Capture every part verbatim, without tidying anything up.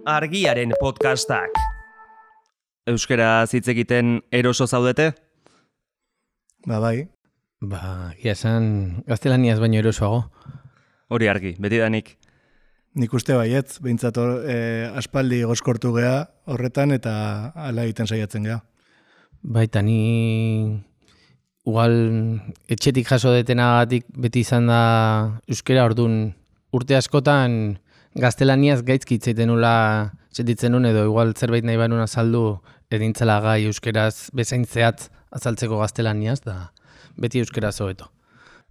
Argiaren podcastak. Euskaraz hitz egiten eroso zaudete? Ba, bai. Ba, ia esan gaztelaniaz baino erosoago. Hori argi, betidanik. Nik uste baietz, behintzat eh, aspaldi gozkortu gea horretan eta hala egiten saiatzen gea. Baita, ni igual etxetik jaso detenagatik beti izan da euskera, orduan urte askotan gaztelaniaz gaizki hitz egiten nula sentitzen nun, edo igual zerbait nahi banun azaldu edintzela gai euskeraz bezain zehatz azaltzeko gaztelaniaz, da beti euskeraz hobeto.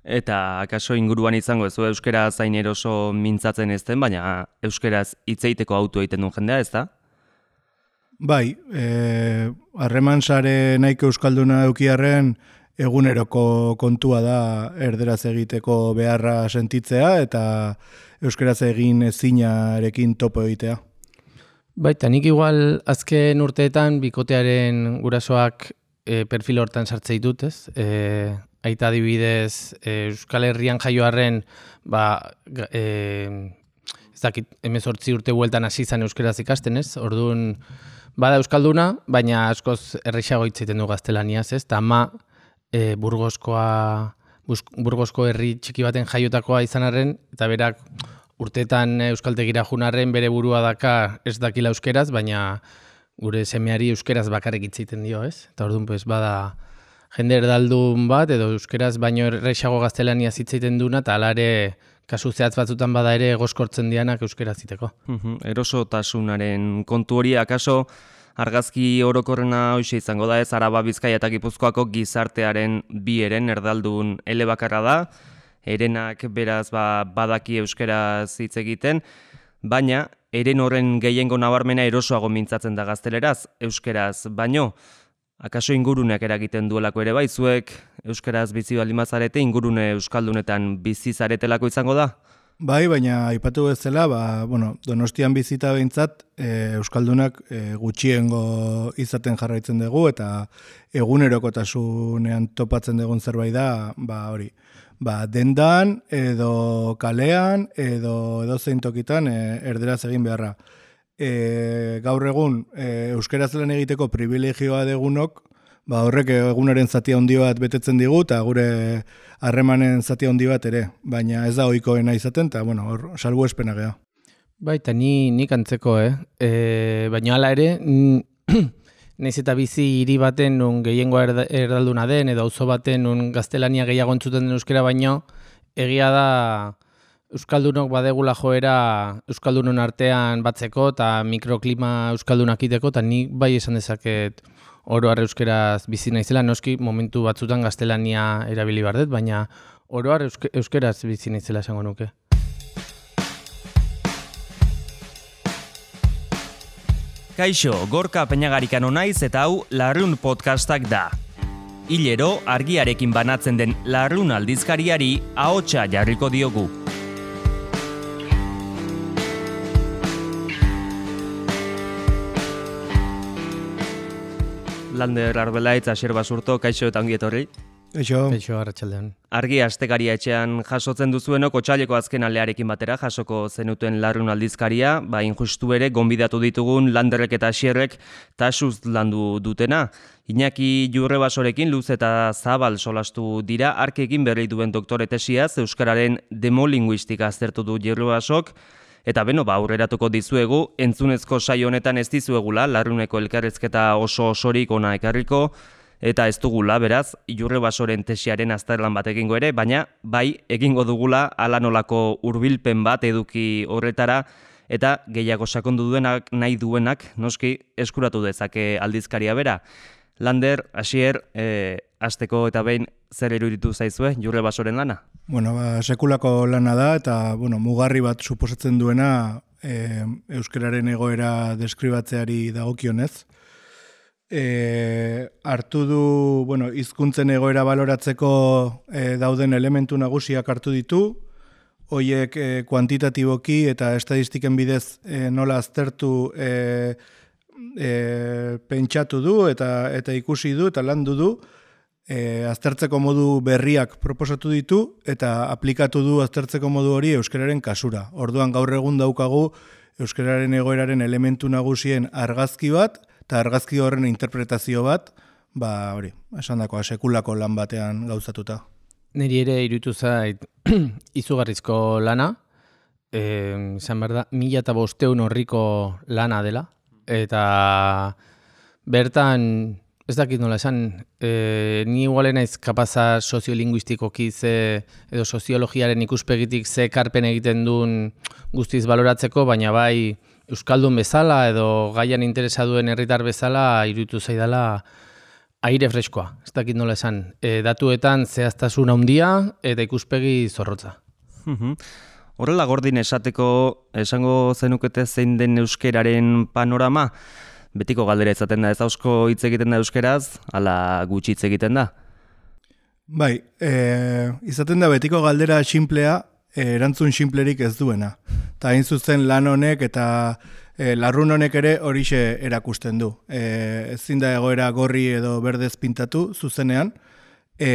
Eta akaso inguruan izango ez du euskera zain eroso mintzatzen ezten, baina euskeraz hitz egiteko autu egiten duen jendea, ez da? Bai, harreman sare nahiko euskalduna eukiarren eguneroko kontua da erderaz egiteko beharra sentitzea eta euskeraz egin ezinarekin topo egitea. Baita, nik igual azken urteetan bikotearen gurasoak e, perfil hortan sartzei dut, ez? E, aita adibidez, e, Euskal Herrian jaioarren, ba, e, ez dakit, hemezortzi urte bueltan hasi izan euskeraz ikasten, ez? Orduan, bada euskalduna, baina askoz errexago hitz egiten du gaztelaniaz, ez? Ta ama e, burgoskoa, burgosko herri txiki baten jaiotakoa izan arren, eta berak urteetan euskaltegira junarren bere burua daka ez dakila euskeraz, baina gure semeari euskeraz bakarrik hitz egiten dio, ez? Eta orduan, pues, bada jende erdaldun bat, edo euskeraz baino errexago gaztelaniaz hitz egiten duna, eta hala ere kasu zehatz batzutan bada ere gozkortzen dianak euskeraz hiteko. Uh-huh. Erosotasunaren kontu hori, akaso argazki orokorrena hoxe izango da, ez? Araba, Bizkaia eta Gipuzkoako gizartearen bi eren erdaldun elebakarra da, erenak beraz ba, badaki euskeraz hitz egiten, baina eren horren gehiengo nabarmena erosoago mintzatzen da gazteleraz, euskeraz baino. Akaso inguruneak eragiten duelako ere bai, zuek euskeraz bizi baldin bazarete ingurune euskaldunetan bizi zaretelako izango da? Bai, baina aipatu bezala, ba, bueno, Donostian bizita behintzat e, euskaldunak e, gutxiengo izaten jarraitzen dugu eta egunerokotasunean topatzen dugun zerbait da, ba hori. Ba, dendan edo kalean edo edo zein tokitan e, erderaz egin beharra. E, gaur egun e, euskeraz lan egiteko privilegioa degunok, ba, horrek egunaren zati handi bat betetzen digu eta gure harremanen zati handi bat ere, baina ez da ohikoena izaten eta bueno, hor salbuespena gea. Baita, ni nik antzeko, eh? E, baina hala ere, naiz eta bizi hiri baten nun gehiengoa erdalduna den, edo auzo baten nun gaztelania gehiago entzuten den euskera baino, egia da euskaldunok badegula joera euskaldunon artean batzeko eta mikroklima euskaldunak iteko, eta nik bai esan dezaket oro har euskeraz bizi naizela, noski momentu batzutan gaztelania erabili bardet, baina oro har euske, euskeraz bizi naizela esango nuke. Kaixo, Gorka Peñagarikano naiz eta hau Larrun podcastak da. Hilero argiarekin banatzen den Larrun aldizkariari ahotsa jarriko diogu. Lander Arbelaitz, Asier Basurto, kaixo eta ongi etorri. Kaixo. Kaixo, arratsaldean. Argi astekaria etxean jasotzen duzuenok otsaileko azken aldearekin batera jasoko zenuten Larrun aldizkaria, ba injustu ere gonbidatu ditugun Landerrek eta Asierrek tasuz landu dutena. Iñaki Jurrebasorekin luz eta zabal solastu dira, arkekin berri duen doktore tesiaz euskararen demolinguistika aztertu du Jurrebasok. Eta beno, ba, aurreratuko dizuegu, entzunezko saio honetan ez dizuegula, Larruneko elkarrezketa oso osorik ona ekarriko, eta ez dugula, beraz, Jurrebasoren tesiaren azterlan bat egingo ere, baina bai, egingo dugula ala nolako hurbilpen bat eduki horretara, eta gehiago sakondu duenak, nahi duenak, noski, eskuratu dezake aldizkaria bera. Lander, Asier, e, asteko eta behin zer iruditu zaizue Jurrebasoren lana? Bueno, ba, sekulako lana da eta bueno, mugarri bat suposatzen duena e, euskararen egoera deskribatzeari dagokionez. E, hartu du, bueno, hizkuntzen egoera baloratzeko e, dauden elementu nagusiak hartu ditu, hoiek e, kuantitatiboki eta estadistiken bidez e, nola aztertu e, e, pentsatu du eta eta ikusi du eta landu du. E, aztertzeko modu berriak proposatu ditu eta aplikatu du aztertzeko modu hori euskararen kasura. Orduan gaur egun daukagu euskararen egoeraren elementu nagusien argazki bat, eta argazki horren interpretazio bat, ba hori, esan dakoa, sekulako lan batean gauzatuta. Niri ere iruditu zait izugarrizko lana, eh, izan behar da, mila eta bosteun horriko lana dela, eta bertan, ez dakit nola esan, e, ni igualen naiz kapaza soziolinguistikoki ze, edo soziologiaren ikuspegitik ze karpen egiten duen guztiz baloratzeko, baina bai euskaldun bezala edo gaian interesa duen herritar bezala iruditu zaidala aire freskoa, ez dakit nola esan. E, datuetan zehaztasun handia eta ikuspegi zorrotza. Horrela Gordin esateko esango zenukete zein den euskeraren panorama? Betiko galdera izaten da, ez ausko hitz egiten da euskeraz, ala gutxi hitz egiten da? Bai, e, izaten da betiko galdera xinplea, e, erantzun xinplerik ez duena. Ta hain zuzen lan honek eta e, larrun honek ere horixe erakusten du. E, ezin da egoera gorri edo berdez pintatu zuzenean, e,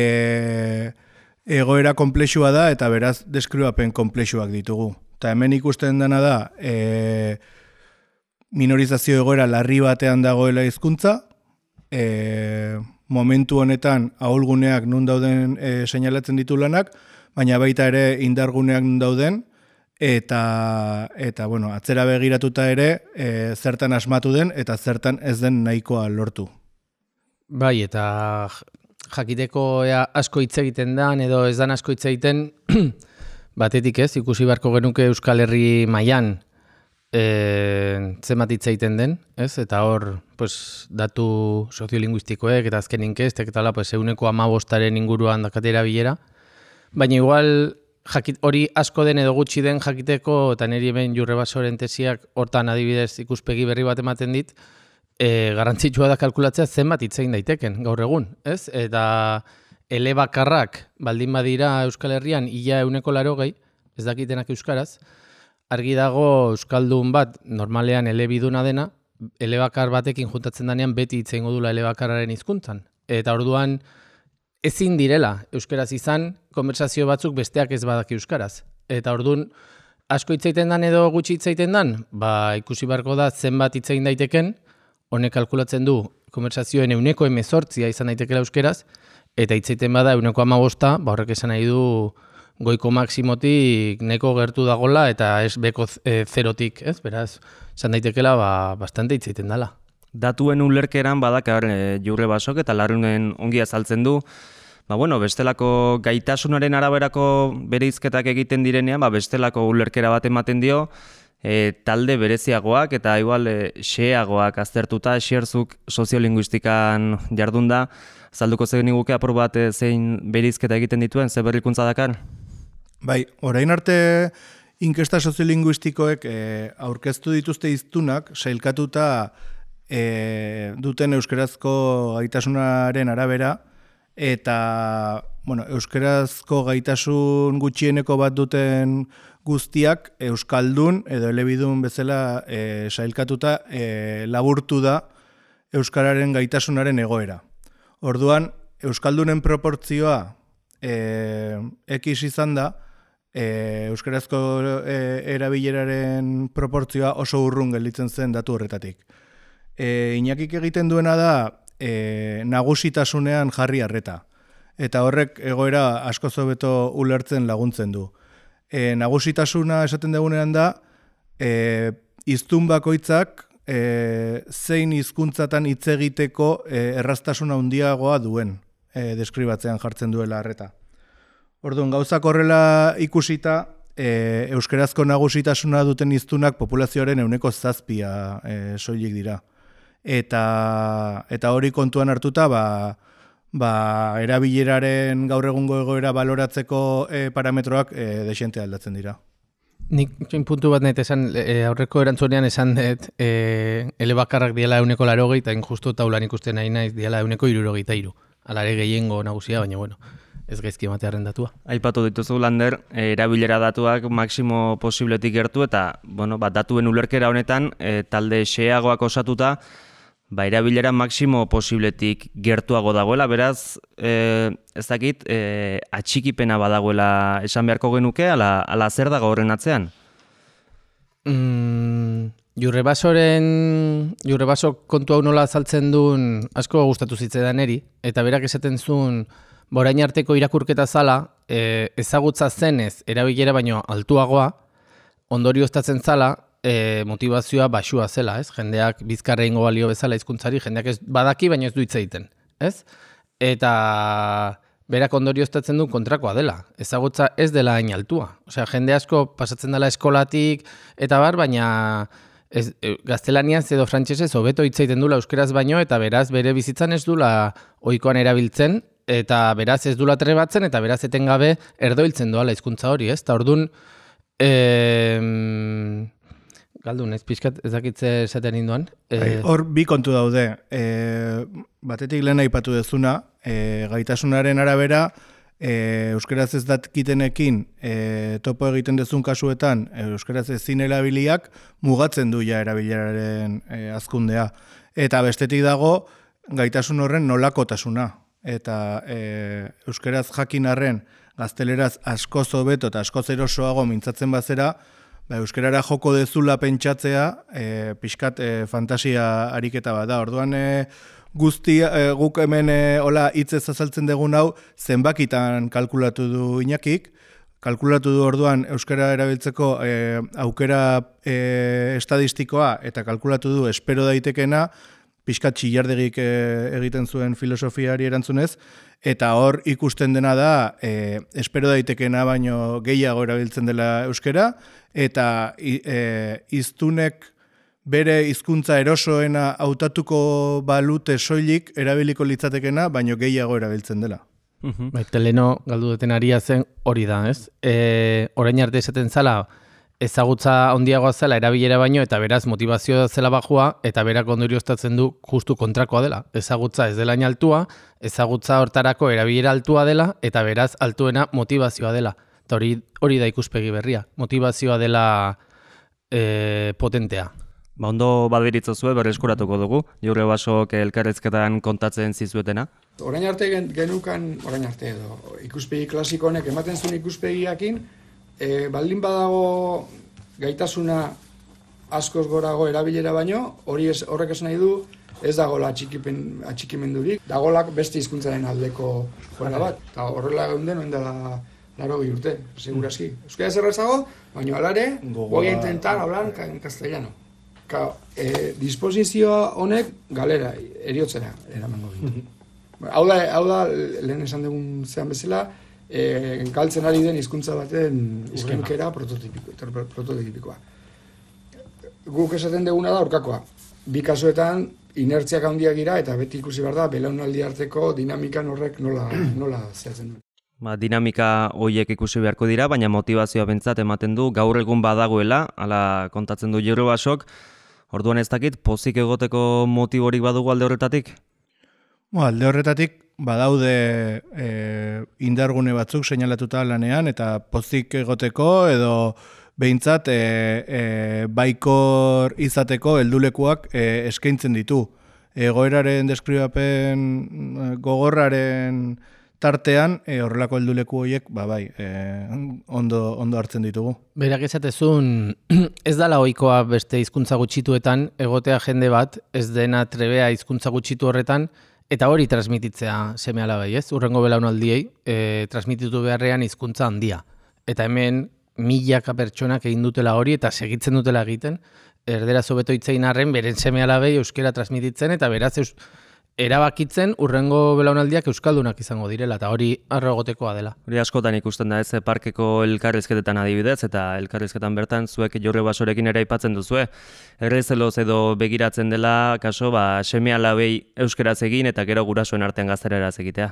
egoera konplexua da eta beraz deskribapen konplexuak ditugu. Ta hemen ikusten dena da, e, minorizazio egoera larri batean dagoela hizkuntza, e, momentu honetan ahulguneak nun dauden e, seinalatzen ditu lanak, baina baita ere indarguneak nun dauden, eta, eta bueno, atzera begiratuta ere e, zertan asmatu den eta zertan ez den nahikoa lortu. Bai, eta jakiteko ea asko hitz egiten dan edo ez dan asko hitz egiten, batetik ez, ikusi beharko genuke Euskal Herri mailan E, zenbat hitz egiten den, ez? Eta hor, pues, datu soziolinguistikoek eta azken inkestek eta la, pues, euneko amabostaren inguruan dakatera bilera. Baina igual jakit, hori asko den edo gutxi den jakiteko, eta niri hemen Jurre Basoren tesiak hortan adibidez ikuspegi berri bat ematen dit, e, garrantzitsua da kalkulatzea zenbat hitz egin daiteken gaur egun, ez? Eta elebakarrak baldin badira Euskal Herrian ia euneko larogei, ez dakitenak euskaraz, argi dago euskaldun bat normalean elebiduna dena, elebakar batekin juntatzen danean beti hitz egingo dula elebakarraren hizkuntzan. Eta orduan ezin direla euskaraz izan, konversazio batzuk besteak ez badaki euskaraz. Eta orduan asko hitz egiten dan edo gutxi hitz egiten dan, ba ikusi beharko da zenbat hitz egin daiteken, honek kalkulatzen du konversazioen euneko hemezortzia izan daitekela euskaraz, eta hitz egiten bada euneko hamabosta, ba horrek esan nahi du goiko maksimotik neko gertu dagola eta ez beko e, zerotik, ez? Beraz, esan daitekela ba, bastante hitz egiten dela. Datuen ulerkeran badakar e, Jurre Basok eta Larrunen ongi azaltzen du, ba, bueno, bestelako gaitasunaren araberako bereizketak egiten direnean, ba, bestelako ulerkera bat ematen dio, e, talde bereziagoak eta igual e, xeagoak aztertuta, xerzuk soziolinguistikan jardunda, zalduko zen iguke apur bat e, zein bereizketa egiten dituen, ze berrikuntza dakar? Bai, orain arte inkesta soziolinguistikoek e, aurkeztu dituzte hiztunak sailkatuta e, duten euskerazko gaitasunaren arabera eta bueno, euskerazko gaitasun gutxieneko bat duten guztiak euskaldun edo elebidun bezala e, sailkatuta e, laburtu da euskararen gaitasunaren egoera. Orduan, euskaldunen proportzioa e, X izan da, E, euskarazko e, erabileraren proportzioa oso urrun gelditzen zen datu horretatik. E, Iñakik egiten duena da e, nagusitasunean jarri arreta. Eta horrek egoera asko hobeto ulertzen laguntzen du. E, nagusitasuna esaten dugunean da, e, hiztun bakoitzak e, zein hizkuntzatan hitz egiteko e, erraztasuna handiagoa duen e, deskribatzean jartzen duela arreta. Orduan, gauzak horrela ikusita, e, euskerazko nagusitasuna duten hiztunak populazioaren ehuneko zazpia e, soilik dira. Eta, eta hori kontuan hartuta, ba, ba, erabileraren gaur egungo egoera baloratzeko e, parametroak e, desente aldatzen dira. Nik txin puntu bat net esan, e, aurreko erantzunean esan dut, e, elebakarrak diela euneko larogei, eta injustu taulan ikusten nahi naiz diela euneko irurogeita iru. Alare gehiengo nagusia, baina bueno. Ez gaizki ematearen datua. Aipatu dituzu, Lander, erabilera datuak maksimo posibletik gertu eta bueno, bat datuen ulerkera honetan e, talde xeagoak osatuta ba, erabilera maksimo posibletik gertuago dagoela, beraz e, ez dakit e, atxikipena badagoela esan beharko genuke, ala, ala zer dago horren atzean? Mm, Jurrebasoren, jurrebaso kontu hau nola azaltzen duen asko gustatu zitzaidan eri, eta berak esaten zuen borain arteko irakurketa zala, e, ezagutza zenez erabilera baino altuagoa, ondorioztatzen zala, e, motivazioa baxua zela, ez? Jendeak bizkarra ingo balio bezala hizkuntzari, jendeak ez badaki baino ez du hitz egiten, ez? Eta berak ondorioztatzen du kontrakoa dela. Ezagutza ez dela hain altua. Osea, jende asko pasatzen dela eskolatik eta bar, baina ez, e, gaztelaniaz edo frantsesez hobeto hitz egiten dula euskeraz baino, eta beraz bere bizitzan ez dula ohikoan erabiltzen, eta beraz ez dula trebatzen, eta beraz etengabe erdoiltzen doala hizkuntza hori, ez? Ta ordun eh Galdun, ez pixkat ez dakitze esaten induan. E... Hor bi kontu daude. E, batetik lehen aipatu dezuna, e, gaitasunaren arabera, e, euskeraz ez datkitenekin e, topo egiten dezun kasuetan, e, euskeraz ezin erabiliak mugatzen du ja erabileraren e, azkundea. Eta bestetik dago, gaitasun horren nolakotasuna. Eta e, euskeraz jakin arren, gazteleraz askoz hobeto eta askoz erosoago mintzatzen bazera, ba, euskerara joko dezula pentsatzea, e, pixkat e, fantasia ariketa bat da. Orduan e, guztia, e, guk hemen e, hola hitzez azaltzen dugun hau zenbakitan kalkulatu du Iñakik, kalkulatu du orduan euskara erabiltzeko e, aukera e, estadistikoa eta kalkulatu du espero daitekena, pixkat txillardegik e, egiten zuen filosofiari erantzunez, eta hor ikusten dena da e, espero daitekena baino gehiago erabiltzen dela euskera, eta e, iztunek bere hizkuntza erosoena hautatuko balute soilik erabiliko litzatekena, baino gehiago erabiltzen dela. Uh-huh. Baita leno galdu duten aria zen hori da, ez? E, orain arte esaten zala, ezagutza handiagoa zela erabilera baino, eta beraz motivazioa zela bajua, eta berak ondorioztatzen du justu kontrakoa dela. Ezagutza ez dela altua, ezagutza hortarako erabilera altua dela, eta beraz altuena motivazioa dela. Eta hori, hori da ikuspegi berria. Motivazioa dela e, potentea. Ba, ondo badbiritzo zuen, berreskuratuko dugu, Jurrebasok elkarrezketan kontatzen zizuetena. Orain arte gen, genukan, orain arte edo, ikuspegi klasiko honek ematen zuen ikuspegiakin, e, baldin badago gaitasuna askoz gorago erabilera baino, hori ez, horrek esan nahi du, ez dagoela atxikipen, atxikimendurik, dagolak beste hizkuntzaren aldeko joera bat, eta horrela geunden, oin dela laro bi urte, seguraski. Euskara zerrezago, baina alare, voy a intentar hablar en castellano. Ka, e, disposizioa honek galera, eriotzera, eramango ditu. Hau da, hau da, lehen esan dugun zean bezala, e, galtzen ari den hizkuntza baten urrenkera prototipiko, prototipikoa. Guk esaten duguna da aurkakoa. Bi kasuetan, inertziak handiak gira, eta beti ikusi behar da, belaunaldi arteko dinamikan horrek nola, nola zehatzen duen. Ba, dinamika horiek ikusi beharko dira, baina motivazioa bentsat ematen du, gaur egun badagoela, hala kontatzen du Jurrebasok. Orduan ez dakit, pozik egoteko motiborik badugu alde horretatik? Bo, alde horretatik badaude e, indargune batzuk seinalatuta lanean, eta pozik egoteko edo behintzat e, e, baikor izateko heldulekuak e, eskaintzen ditu. Egoeraren deskribapen gogorraren tartean, e, horrelako helduleku horiek, ba bai, e, ondo, ondo hartzen ditugu. Berak esatezun, ez dala ohikoa beste hizkuntza gutxituetan, egotea jende bat, ez dena trebea hizkuntza gutxitu horretan, eta hori transmititzea seme alabai, ez? Urrengo belaunaldiei, e, transmititu beharrean hizkuntza handia. Eta hemen, milaka pertsonak egin dutela hori, eta segitzen dutela egiten, erdera zobeto hitzein arren, beren seme alabei euskera transmititzen, eta beraz eus, erabakitzen urrengo belaunaldiak euskaldunak izango direla, eta hori arrogotekoa dela. Hori askotan ikusten da ez, parkeko elkarrizketetan adibidez, eta elkarrizketan bertan zuek Jurrebasorekin ere aipatzen duzue. Errezeloz edo begiratzen dela, kaso, ba, seme alabei euskeraz egin, eta gero gurasoen artean gazteleraz egitea.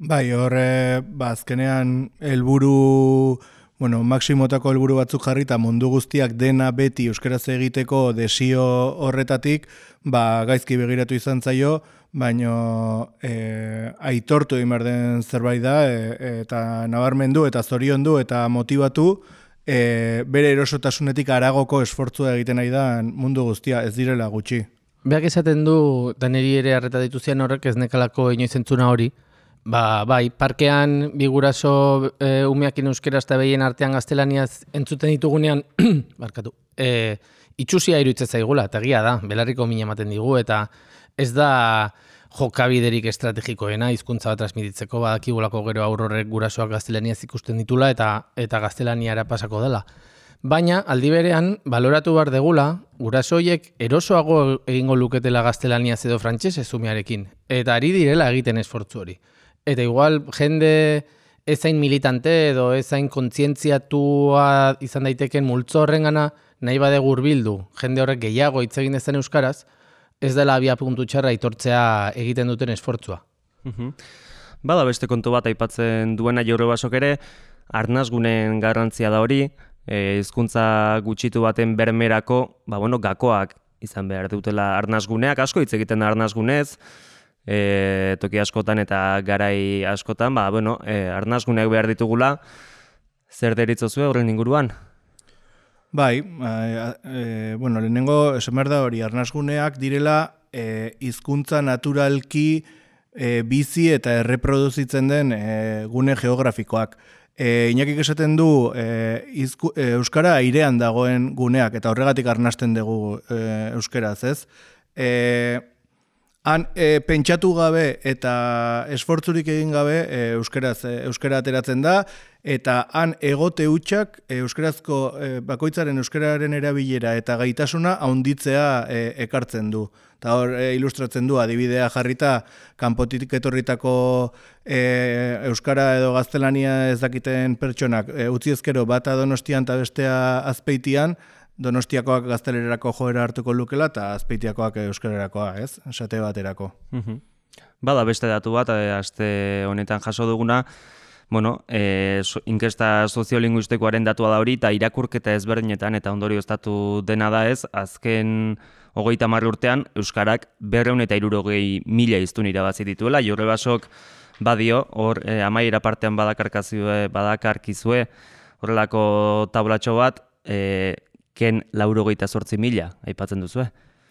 Bai, horre, ba, azkenean helburu... Bueno, maksimotako helburu batzuk jarri eta mundu guztiak dena beti euskaraz egiteko desio horretatik, ba, gaizki begiratu izan zaio, baino e, aitortu egin behar den zerbait da, e, eta nabarmendu eta zoriondu eta motivatu, e, bere erosotasunetik haragoko esfortzua egiten nahi da mundu guztia, ez direla gutxi. Beak esaten du, daneri ere harreta dituzian horrek ez nekalako inoiz entzuna hori, Ba, bai, parkean bi guraso e, umeakin euskeraz eta behien artean gaztelaniaz entzuten ditugunean, barkatu, e, itxusia iruditzen zaigula, eta egia da, belarriko mina ematen digu, eta ez da jokabiderik estrategikoena hizkuntza bat transmititzeko, badakigulako gero aurrorek gurasoak gaztelaniaz ikusten ditula eta eta gaztelaniara pasako dela. Baina, aldi berean, baloratu behar degula, gurasoiek erosoago egingo luketela gaztelaniaz edo frantsesez umearekin, eta ari direla egiten esfortzu hori. Eta igual, jende ezain militante edo ezain kontzientziatua izan daiteken multzo horrengana nahi bade hurbildu, jende horrek gehiago hitz egin dezen euskaraz, ez dela abia puntu txarra aitortzea egiten duten esfortzua. Mhm. Bada beste kontu bat aipatzen duena Jaurebasok ere, arnasgunen garrantzia da hori, hizkuntza gutxitu baten bermerako, ba bueno, gakoak izan behar dutela arnasguneak, asko hitz egiten da arnasgunez, e, toki askotan eta garai askotan, ba bueno, e, arnasguneak behar ditugula. Zer deritzozue horren inguruan? Bai, e, e, bueno, lehenengo esan behar da hori, arnasguneak direla e, hizkuntza naturalki e, bizi eta erreproduzitzen den e, gune geografikoak. E, Inakik esaten du e, izku, e, euskara airean dagoen guneak, eta horregatik arnasten dugu e, euskaraz, ez? E, han e, pentsatu gabe eta esfortzurik egin gabe e, euskaraz, e, euskara ateratzen da, eta han egote hutsak e, euskarazko e, bakoitzaren euskararen erabilera eta gaitasuna haunditzea e, ekartzen du. Eta hor e, ilustratzen du adibidea jarrita kanpotik etorritako e, euskara edo gaztelania ez dakiten pertsonak e, utzi ezkero bata Donostian eta bestea Azpeitian, Donostiakoak gaztelerarako joera hartuko lukela eta Azpeitiakoak euskararakoa, ez? Esate baterako. Mhm. Bada beste datu bat, e, aste honetan jaso duguna, bueno, e, so, inkesta soziolinguistikoaren datua da hori, eta irakurketa ezberdinetan eta ondorioztatu dena da ez, azken hogeita hamar urtean, euskarak berrehun eta hirurogei mila hiztun irabazi dituela. Jaurebasok badio, hor e, amaiera partean badakarkazue, badakarkizue, horrelako tablatxo bat, e, ken laurogeita zortzi mila, aipatzen duzue.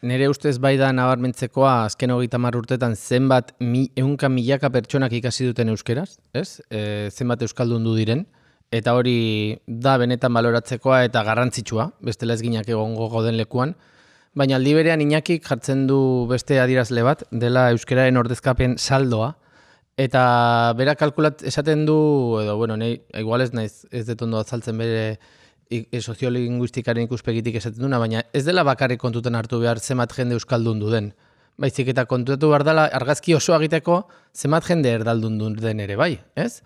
Nere ustez bai da nabarmentzekoa azken hogeita hamar urtetan zenbat mi, ehunka milaka pertsonak ikasi duten euskeraz, ez? E, zenbat euskaldun du diren, eta hori da benetan baloratzekoa eta garrantzitsua, bestela ez ginak egongo goden lekuan, baina aldi berean Iñakik jartzen du beste adierazle bat, dela euskararen ordezkapen saldoa, eta bera kalkulat esaten du, edo, bueno, nahi, igual ez naiz ez dut ondo azaltzen bere e, soziolinguistikaren ikuspegitik esaten duna, baina ez dela bakarrik kontutan hartu behar zenbat jende euskaldun du den. Baizik eta kontutatu behar dela argazki oso egiteko zenbat jende erdaldun du den ere bai, ez?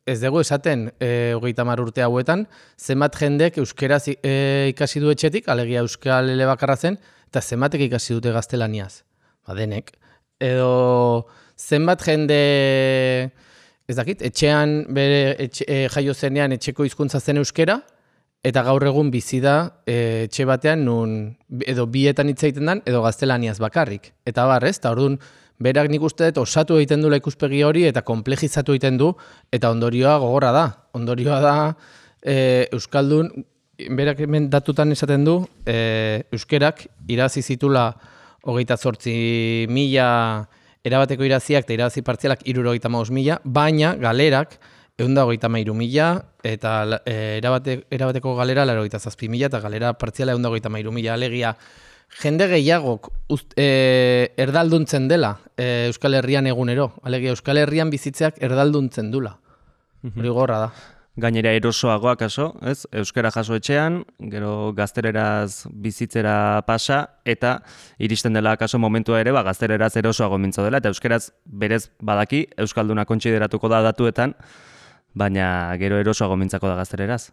Ez dugu esaten e, hogeita hamar urte hauetan, zenbat jendek euskeraz e, ikasi du etxetik, alegia euskal elebakarra zen, eta zenbatek ikasi dute gaztelaniaz. Ba, denek. Edo zenbat jende, ez dakit, etxean bere etxe, e, jaio zenean etxeko hizkuntza zen euskera, eta gaur egun bizi da e, etxe batean nun edo bietan hitz egiten dan, edo gaztelaniaz bakarrik. Eta bar, ez? Eta orduan, berak nik uste dut osatu egiten dula ikuspegi hori eta konplejizatu egiten du, eta ondorioa gogorra da. Ondorioa da e, euskaldun, berak hemen datutan esaten du, e, euskerak irabazi zitula hogeita zortzi mila erabateko iraziak eta irabazi partzialak hirurogeita hamabost mila, baina galerak ehun eta hogeita hamairu mila eta e, erabate, erabateko galera laurogeita zazpi mila eta galera partziala ehun eta hogeita hamairu mila. Alegia, jende gehiagok uzt, e, erdalduntzen dela e, Euskal Herrian egunero. Alegia, Euskal Herrian bizitzeak erdalduntzen dula. Hori gorra da. Gainera erosoagoak kaso, ez? Euskara jaso etxean, gero gaztereraz bizitzera pasa, eta iristen dela kaso momentua ere, ba, gaztereraz erosoago mintzo dela, eta euskaraz berez badaki, euskalduna kontsideratuko da datuetan, baina gero erosoago mintzako da gaztereraz.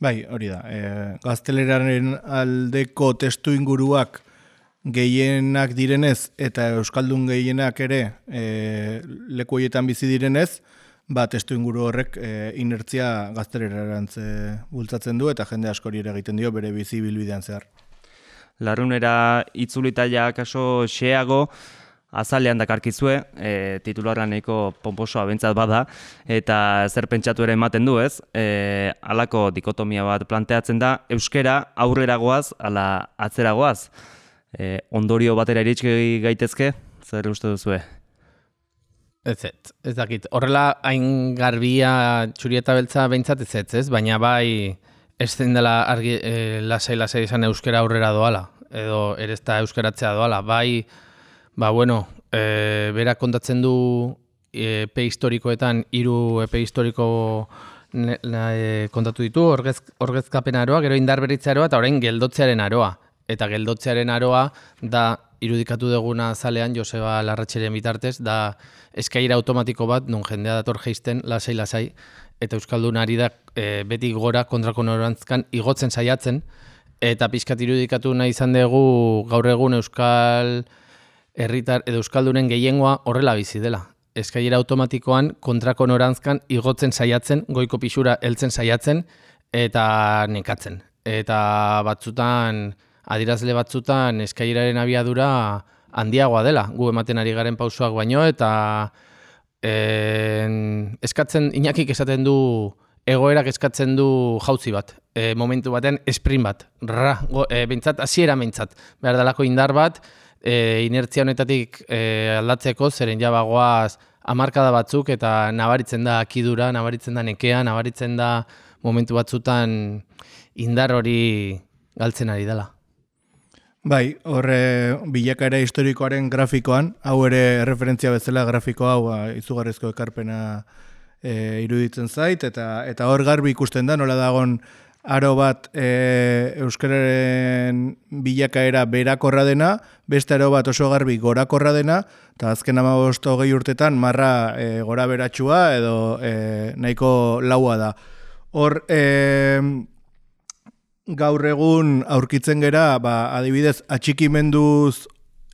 Bai, hori da. E, gazteleraren aldeko testu inguruak gehienak direnez, eta euskaldun gehienak ere e, leku horietan bizi direnez, ba, testu inguru horrek e, inertzia gaztelerarantz e, bultzatzen du eta jende askori ere egiten dio bere bizi bilbidean zehar. Larrunera itzulitaia kaso xeago azalean dakarkizue, e, titularra nahiko pomposoa bentsat bada, eta zer pentsatu ere ematen du, ez? E, halako dikotomia bat planteatzen da, euskera aurreragoaz, ala atzeragoaz. E, ondorio batera iritsi gaitezke, zer uste duzue? Ez ez, ez dakit. Horrela hain garbia txurieta beltza behintzat ez ez, ez? Baina bai ez zen dela argi, e, lasai lasai izan euskera aurrera doala, edo ere ez da euskeratzea doala. Bai, ba bueno, e, berak kontatzen du epe historikoetan, hiru epe historiko ne, e, kontatu ditu, orgez, orgezkapen aroa, gero indarberritze aroa, eta orain geldotzearen aroa. Eta geldotzearen aroa da irudikatu duguna zalean Joseba Larratxeren bitartez, da eskaira automatiko bat, non jendea dator geisten, lasai-lasai, eta Euskaldun ari da e, beti gora kontrako norantzkan igotzen saiatzen, eta pixkat irudikatu nahi izan dugu gaur egun Euskal herritar edo Euskaldunen gehiengoa horrela bizi dela. Eskaira automatikoan kontrako norantzkan igotzen saiatzen, goiko pixura heltzen saiatzen, eta nekatzen. Eta batzutan, adirazle batzutan eskairaren abiadura handiagoa dela, gu ematen ari garen pausoak baino, eta en, eskatzen, Iñakik esaten du, egoerak eskatzen du jauzi bat, e, momentu baten sprint bat, ra, go, e, bintzat, hasiera bintzat, behar dalako indar bat, e, inertzia honetatik e, aldatzeko, zeren jabagoaz hamarkada batzuk, eta nabaritzen da akidura, nabaritzen da nekea, nabaritzen da momentu batzutan indar hori galtzen ari dela. Bai, horre bilakaera historikoaren grafikoan, hau ere referentzia bezala grafiko hau izugarrizko ekarpena e, iruditzen zait, eta eta hor garbi ikusten da, nola dagon aro bat e, euskararen bilakaera berakorra dena, beste aro bat oso garbi gorakorra dena, eta azken hamabost hogei urtetan marra e, gora beratxua edo e, nahiko laua da. Hor, e, gaur egun aurkitzen gera, ba, adibidez, atxikimenduz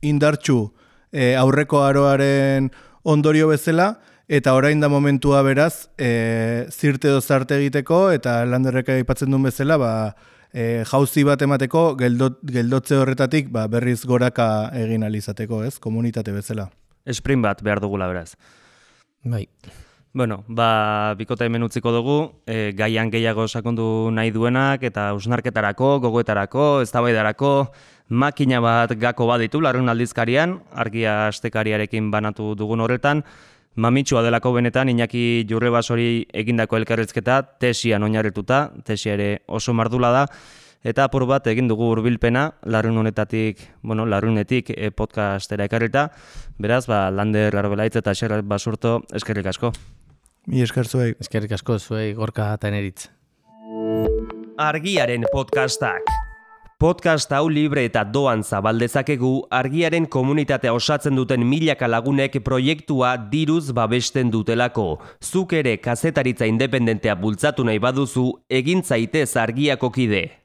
indartxu e, aurreko aroaren ondorio bezala, eta orain da momentua beraz, e, zirte edo zarte egiteko, eta Landerrek aipatzen duen bezala, ba, e, jauzi bat emateko, geldot, geldotze horretatik ba, berriz goraka egin alizateko, ez? Komunitate bezala. Sprint bat behar dugula beraz. Bai. Bueno, ba, bikota hemen utziko dugu, e, gaian gehiago sakondu nahi duenak, eta hausnarketarako, gogoetarako, eztabaidarako, makina bat gako baditu larrun aldizkarian, argia astekariarekin banatu dugun horretan, mamitsua delako benetan, Iñaki Jurrebasori egindako elkarrezketa, tesian oinarrituta, tesia ere oso mardula da, eta apur bat egin dugu hurbilpena larrun honetatik, bueno, larrunetik e, podcastera ekarrita, beraz, ba, Lander Arbelaitz eta Xer Basurto eskerrik asko. Mi esker zuei. Eskerrik asko zuei Gorka eta Eneritz. Argiaren podcastak. Podcast hau libre eta doan zabaldezakegu argiaren komunitatea osatzen duten milaka lagunek proiektua diruz babesten dutelako. Zuk ere kazetaritza independentea bultzatu nahi baduzu, egin zaitez argiako kide.